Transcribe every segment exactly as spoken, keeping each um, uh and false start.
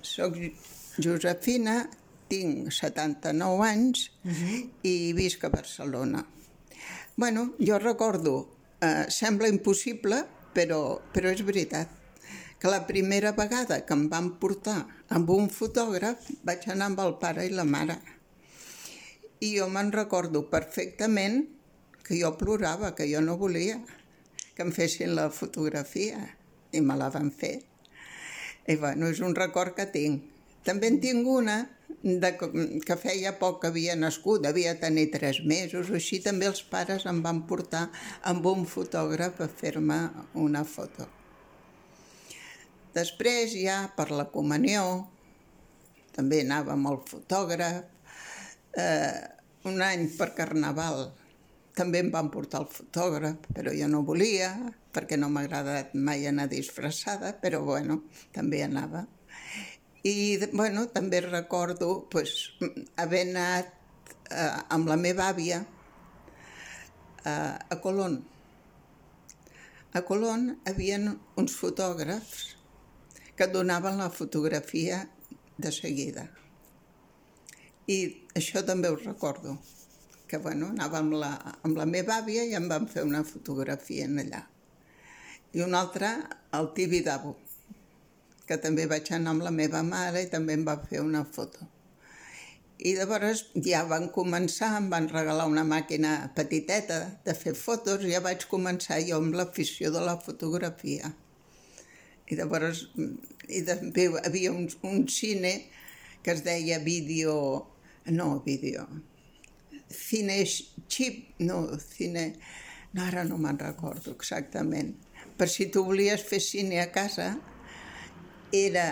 soc Josefina, tinc setanta-nou anys i visc a Barcelona. Bueno, jo recordo, eh, sembla impossible, però, però és veritat, que la primera vegada que em van portar amb un fotògraf vaig anar amb el pare i la mare. I jo me'n recordo perfectament que jo plorava, que jo no volia que em fessin la fotografia, i me la van fer. I bueno, és un record que tinc. També en tinc una de que feia poc que havia nascut, devia tenir tres mesos o així, també els pares em van portar amb un fotògraf a fer-me una foto. Després ja per la comunió també anava amb el fotògraf. Eh, un any per Carnaval també em van portar el fotògraf, però jo no volia, perquè no m'ha agradat mai anar disfressada, però bueno, també anava. I bueno, també recordo pues, haver anat eh, amb la meva àvia eh, a Colón. A Colón hi havia uns fotògrafs que donaven la fotografia de seguida. I això també ho recordo, que bueno, anava amb la, amb la meva àvia i em van fer una fotografia en allà. I una altra al Tibidabo, que també vaig anar amb la meva mare i també em va fer una foto. I llavors ja van començar, em van regalar una màquina petiteta de fer fotos, i ja vaig començar jo amb l'afició de la fotografia. I llavors i també hi havia un, un cine que es deia vídeo, no vídeo, cine xip, no, cine, no, ara no me'n recordo exactament. Per si tu volies fer cine a casa, era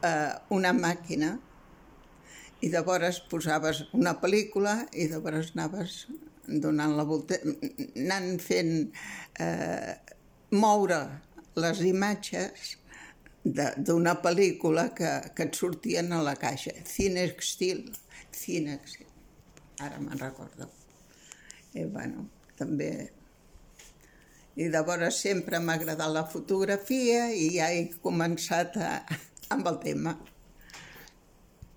eh, una màquina i llavors posaves una pel·lícula i llavors anaves donant la volta, anant fent eh, moure les imatges d'una pel·lícula que, que et sortien a la caixa. Cinextil, Cinextil, ara me'n recordo. I bueno, també... I llavors sempre m'ha agradat la fotografia i ja he començat a, amb el tema.